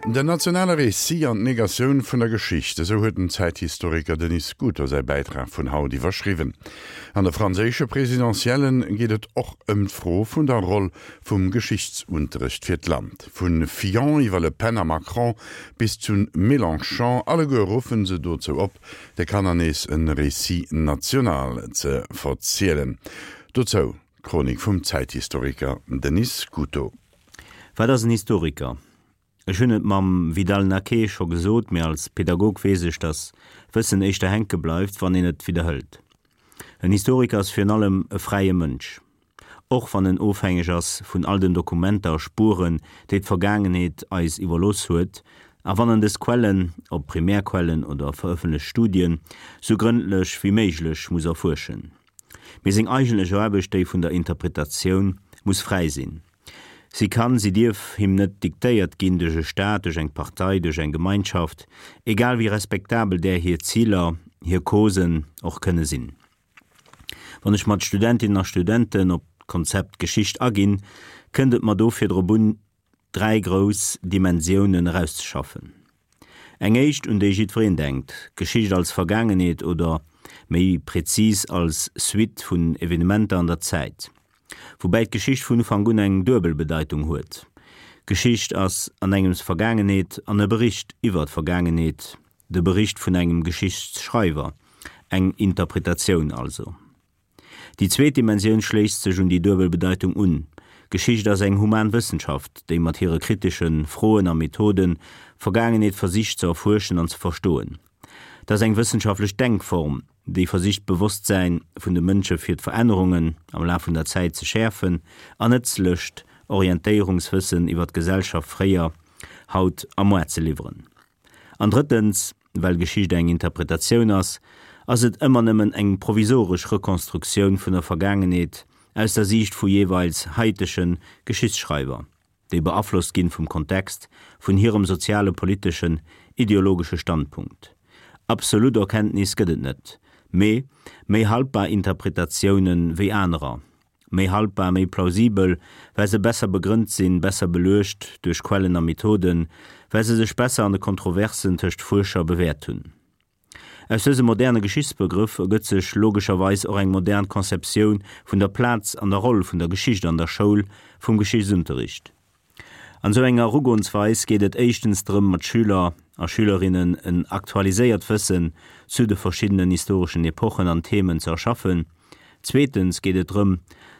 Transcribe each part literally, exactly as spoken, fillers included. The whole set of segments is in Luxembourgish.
Den nationale Récit an d'Negatioun vun der Geschicht, esou huet den Zäithistoriker Denis Scuto säi Bäitrag vun haut iwwerschriwwen. An de franséische Presidentielle geet et och ëm d'Fro vun der Roll vum Geschichtsunterrecht fir d'Land. Vu Fillon iwwer Le Pen a Macron bis zu Mélenchon, alleguer ruffen se dozou op, de Kanner nees e Récit national ze verzielen. Dozou d'Chronik vum Zäithistoriker Denis Scuto. Wat ass en Historiker? Ech hunn et mam Vidal-Naquet scho gesot, mee als Pedagog weess ech, dass Wëssen éischter hänke bleift, wann een et widderhëlt. En Historiker ass virun allem e fräie Mënsch. Och wann en ofhängeg ass vun all den Dokumenter a Spueren, déi d'Vergaangenheet eis iwwerlooss huet, a wann en dës Quellen, ob Primärquellen oder verëffentlecht Studien, sou grëndlech wéi méiglech muss erfuerschen. Mee seng eigentlech Aarbecht, déi vun der Interpretatioun, muss fräi sinn. Si kann, si dierf him net diktéiert ginn duerch e Staat, duerch eng Partei, duerch eng Gemeinschaft, egal wéi respektabel där hir Ziler, hir Causen och kënne sinn. Wann ech mat Studentinnen a Studenten op d'Konzept Geschicht aginn, kënnt et mer dofir drop un, dräi grouss Dimensiounen erauszeschaffen. Eng éischt, un déi jiddwereen denkt, Geschicht als Vergaangenheet oder méi prezis als Suite vun Evenementer an der Zäit. Woubäi d'Geschicht vun Ufank un eng duebel Bedeitung huet, Geschicht ass an engems Vergaangenheet an e Bericht iwwer d'Vergaangenheet, de Bericht vun engem Geschichtsschreiwer, eng Interpretatioun also. Déi zweet Dimensioun schléisst sech un déi duebel Bedeitung un, Geschicht ass eng human Wëssenschaft, déi mat hire kritesche Froen a Methoden d'Vergaangenheet versicht ze erfuerschen an ze verstoen. Et ass eng wëssenschaftlech Denkform, déi versicht d'Bewosstsäin vun de Mënsche fir d'Verännerungen am Laf vun der Zäit ze schäerfen an nëtzlecht Orientéierungswëssen iwwer d'Gesellschaft fréier, haut a muar ze liwweren. An drëttens, well Geschicht eng Interpretatioun ass, ass et ëmmer nëmmen eng provisoresch Rekonstruktioun vun der Vergaangenheet aus der Siicht vu jeeweils haitege Geschichtsschreiwer. déi beaflosst ginn vum Kontext, vun hirem soziale, politeschen, ideologesche Standpunkt. Absolut Erkenntnis gëtt et net, mee méi haltbar Interpretatiounen wéi anerer, méi haltbar, méi plausibel, well se besser begrënnt sinn, besser beluecht duerch Quellen a Methoden, well se sech besser an de Kontroversen tëscht Fuerscher bewäert hunn. Aus dësem moderne Geschichtsbegrëff ergëtt sech logescherweis och eng modern Conceptioun vun der Plaz an der Roll vun der Geschicht an der Schoul, vum Geschichtsunterricht. An esou enger Erugoensweis geet et éischtens drëm, mat Schüler a Schülerinnen en aktualiséiert Wëssen zu de verschiddenen historeschen Epochen an Themen ze erschaffen. Zweetens geet et drëm,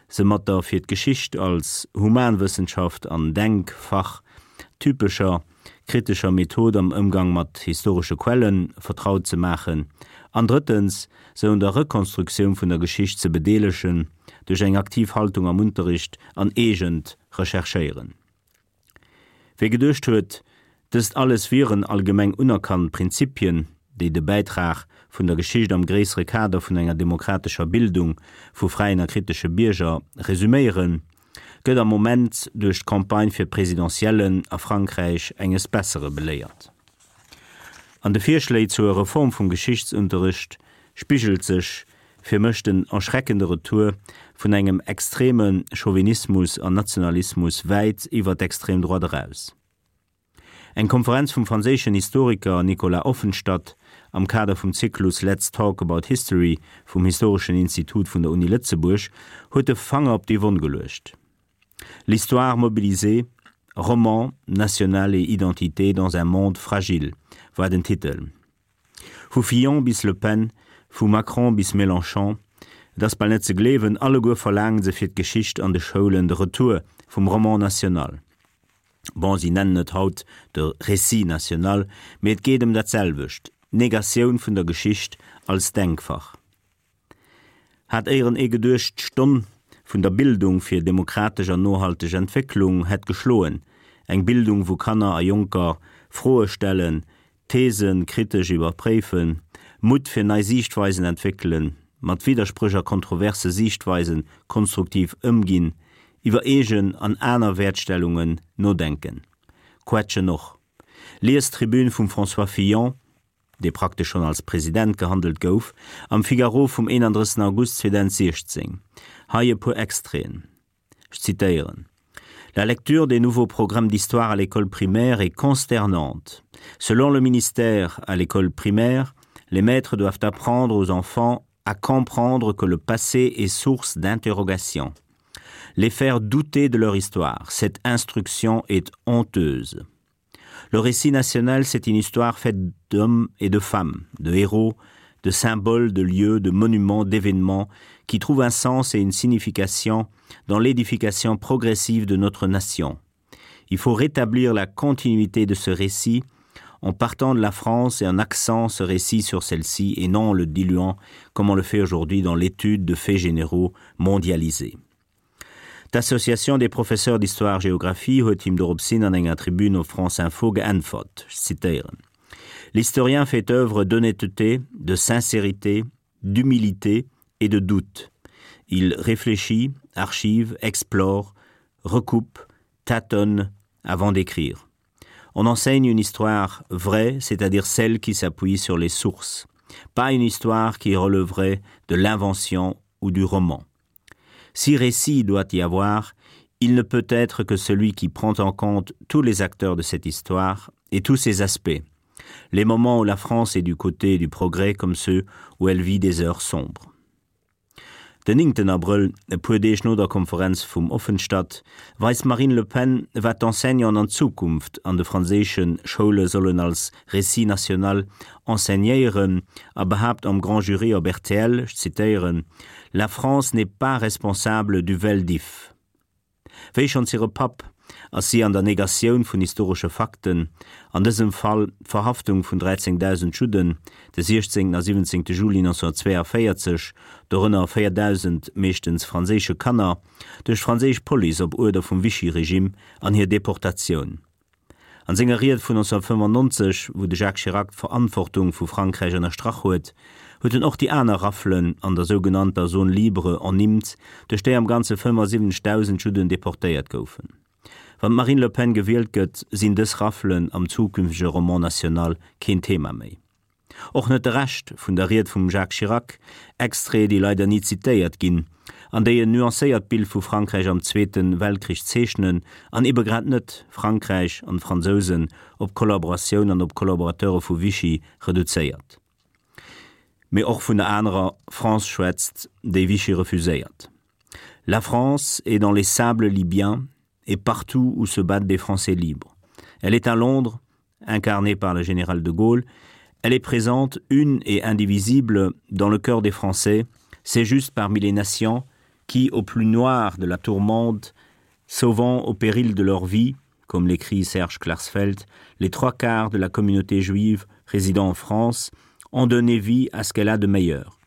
se mat der fir d'Geschicht als Humanwëssenschaft an Denkfach typescher kritescher Method am Ëmgang mat historesche Quelle vertraut ze maachen an drëttens, se un der Rekonstruktioun vun der Geschicht ze bedeelegen duerch eng aktiv Haltung am Unterricht an eegent Recherchéieren. Wie geduecht huet, dëst alles wieren allgemeng unerkannt Prinzipien, déi de Bäitrag vun der Geschicht am gréissere Kader vun enger demokratescher Bildung vu fräien a kritesche Bierger resüméieren, gëtt am Moment duerch d'Campagne fir d'Presidentiellen a Frankräich enges Bessere beléiert. An de Virschléi zur Reform vum Geschichtsunterricht spigelt sech fir mech den erschreckende Retour vun engem extreme Chauvinismus an Nationalismus wäit iwwer d'extrem Droite eraus. Eng Konferenz vum franséischen Historiker Nicolas Offenstadt am Kader vum Zyklus Let's Talk About History vum Historeschen Institut vun der Uni Lëtzebuerg huet de Fanger op déi Wonn geluecht. L'histoire mobilisée, Roman national et identité dans un monde fragile war den Titel. Vu Fillon bis Le Pen, vu Macron bis Mélenchon, et ass bal net ze gleewen, alleguer verlaange se fir d'Geschicht an de Schoulen de Retour vum Roman national. Bon, si nennen et haut de Récit national, mee et geet ëm dat selwecht, d'Negatioun vun der Geschicht als Denkfach. Hat éieren ee geduecht, d'Stonn vun der Bildung fir demokratesch an nohalteg Entwécklung hätt geschloen, eng Bildung, wou Kanner a Jonker Froe stellen, These kritesch iwwerpréifen, Mutt fir nei Siichtweisen entwéckelen, mat Widderspréch a kontroverse Siichtweise konstruktiv ëmginn, iwwer eegen an aner Wäertstellungen nodenken. Quetschen och. Liest d'Tribün vum François Fillon, dee praktesch schonn als President gehandelt gouf, am Figaro vum eenanddrëssigsten August zweedausentsiechzéng. Hei e puer Extraiten. Ech zitéieren, La lecture des nouveaux programmes d'histoire à l'école primaire est consternante. Selon le ministère à l'école primaire, les maîtres doivent apprendre aux enfants à comprendre que le passé est source d'interrogation. Les faire douter de leur histoire, cette instruction est honteuse. Le récit national, c'est une histoire faite d'hommes et de femmes, de héros, de symboles, de lieux, de monuments, d'événements qui trouvent un sens et une signification dans l'édification progressive de notre nation. Il faut rétablir la continuité de ce récit en partant de la France et en accent ce récit sur celle-ci et non en le diluant comme on le fait aujourd'hui dans l'étude de faits généraux mondialisés. D'Association des professeurs d'histoire-géographie huet him doropshin an enger Tribün op France Info geäntwert, ech zitéieren, L'historien fait œuvre d'honnêteté, de sincérité, d'humilité et de doute. Il réfléchit, archive, explore, recoupe, tâtonne avant d'écrire. On enseigne une histoire vraie, c'est-à-dire celle qui s'appuie sur les sources, pas une histoire qui relèverait de l'invention ou du roman. Si récit doit y avoir, il ne peut être que celui qui prend en compte tous les acteurs de cette histoire et tous ses aspects, les moments où la France est du côté du progrès comme ceux où elle vit des heures sombres. Den néngten Abrëll, e puer Deeg no der Konferenz vum Offenstadt, weist d'Marine Le Pen, wat d'Enseignanten an Zukunft an de franséische Schoule sollen als Récit national enseignéieren a behaapt am Grand Jury op rtl, ech zitéieren, La France n'est pas responsable du Vel d'Hiv. Wéi schonns hire Papp ass si an der Negatioun vun historesche Fakten, an dësem Fall d'Verhaftung vun dräizéngdausend Judden de siechzéngten a siwwenzéngte Juli nonzénhunnertzweeënvéierzeg, dorënner véierdausend meeschtens franséische Kanner, duerch d'franséisch Police op Uerder vum Vichy-Regime an hir Deportatioun. An senger Ried vun nonzénhunnertfëffennonzeg, wou de Jacques Chirac d'Verantwortung vu Frankräich ënnerstrach huet, huet en och déi aner Raflen an der sougenannter Zone libre ernimmt, duerch déi am Ganze fëffennsiwwenzegdausend Judden deportéiert goufen. Wann d'Marine Le Pen gewielt gëtt, sinn dës Raflen am zukünftege Roman national keen Thema méi. Och net de Rescht vun der Ried vum Jacques Chirac, Extraiten, déi leider ni zitéiert ginn, an déi en nuancéiert Bild vu Frankräich am Zweete Weltkrich zeechnen an ebe grad net Frankräich an d'Fransousen op Kollaboratioun an op Kollaborateure vu Vichy reduzéiert. Mee och vun der anerer France schwätzt, déi Vichy refuséiert. La France est dans les sables libyens et partout où se battent des Français libres. Elle est à Londres, incarnée par le général de Gaulle. Elle est présente, une et indivisible, dans le cœur des Français. C'est juste parmi les nations qui, au plus noir de la tourmente, sauvant au péril de leur vie, comme l'écrit Serge Klarsfeld, les trois quarts de la communauté juive résidant en France, ont donné vie à ce qu'elle a de meilleur.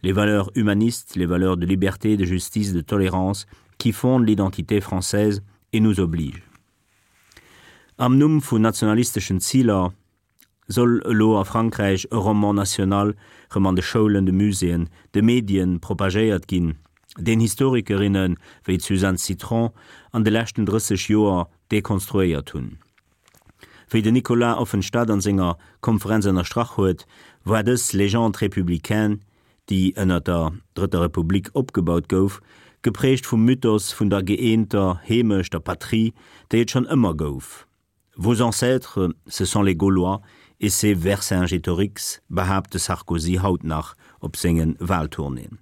Les valeurs humanistes, les valeurs de liberté, de justice, de tolérance, qui fondent l'identité française et nous obligent. Am Numm vun nationalisteschen Ziler soll elo a Frankräich e Roman national rëm an de Schoulen, de Muséeën, de Medien propagéiert ginn, deen Historikerinne wéi d'Suzanne Citron an de leschten drësseg Joer dekonstruéiert hunn. Wéi den Nicolas Offenstadt an senger Konferenz ënnerstrach huet, war dës Légende républicaine, déi ënner der Drëtter Republik opgebaut gouf, geprägt vum Mythos vun der gëeenter Heemecht, der Patrie, déi et schonn ëmmer gouf. Vos ancêtres, ce sont les Gaulois, et c'est Vercingétorix, behaapt de Sarkozy haut nach op senge Wahltournéeën.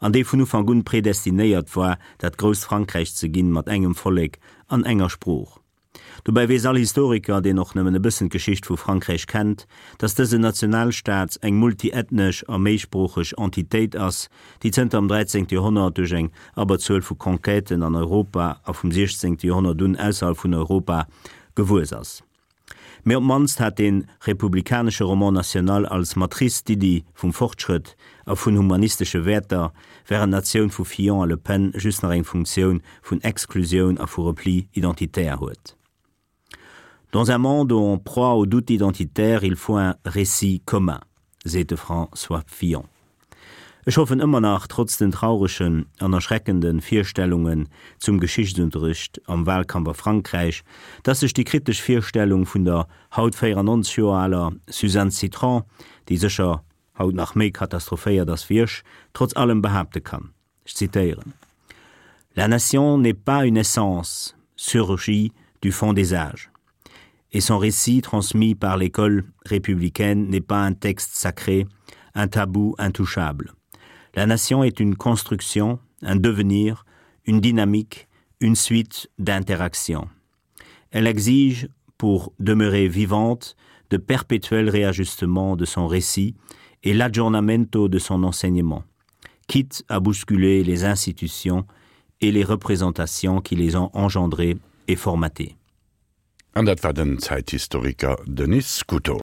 An déi vun Ufank un predestinéiert war, dat grousst Frankräich ze ginn mat engem Vollek an enger Sprooch. Dobäi weess all Historiker, deen och nëmmen e bëssen d'Geschicht vu Frankräich kennt, datt dësen Nationalstaat eng multiethnesch a méisproocheg Entitéit ass, déi zënter dem dräizéngte Joerhonnert duerch eng Abberzuel vu Conquêten an Europa a vum siechzéngte Joerhonnert un ausserhalb vun Europa gewuess ass. Mee op d'mannst hat de republikanesche Roman national als Matrice d'Iddi vum Fortschrëtt a vun humanistesche Wäerter, wärend d'Natioun vu Fillon a Le Pen just nach eng Funktioun vun Exklusioun a vu Repli identitaire huet. Dans un monde en proie au doute identitaire, il faut un récit commun, seet de François Fillon. Ech hoffen ëmmer nach, trotz den trauregen an erschreckende Virstellungen zum Geschichtsunterricht am Wahlkampf a Frankräich, dass sech déi kritesch Virstellung vun der haut véierannonzeg Joer aler Suzanne Citron, déi sécher haut nach méi katastrophéiert ass wéi ech, trotz allem behaapte kann. Ech zitéieren, La nation n'est pas une essence, surgit du fond des âges. Et son récit transmis par l'école républicaine n'est pas un texte sacré, un tabou intouchable. La nation est une construction, un devenir, une dynamique, une suite d'interactions. Elle exige, pour demeurer vivante, de perpétuels réajustements de son récit et l'aggiornamento de son enseignement, quitte à bousculer les institutions et les représentations qui les ont engendrées et formatées. An dat war den Zäithistoriker Denis Scuto.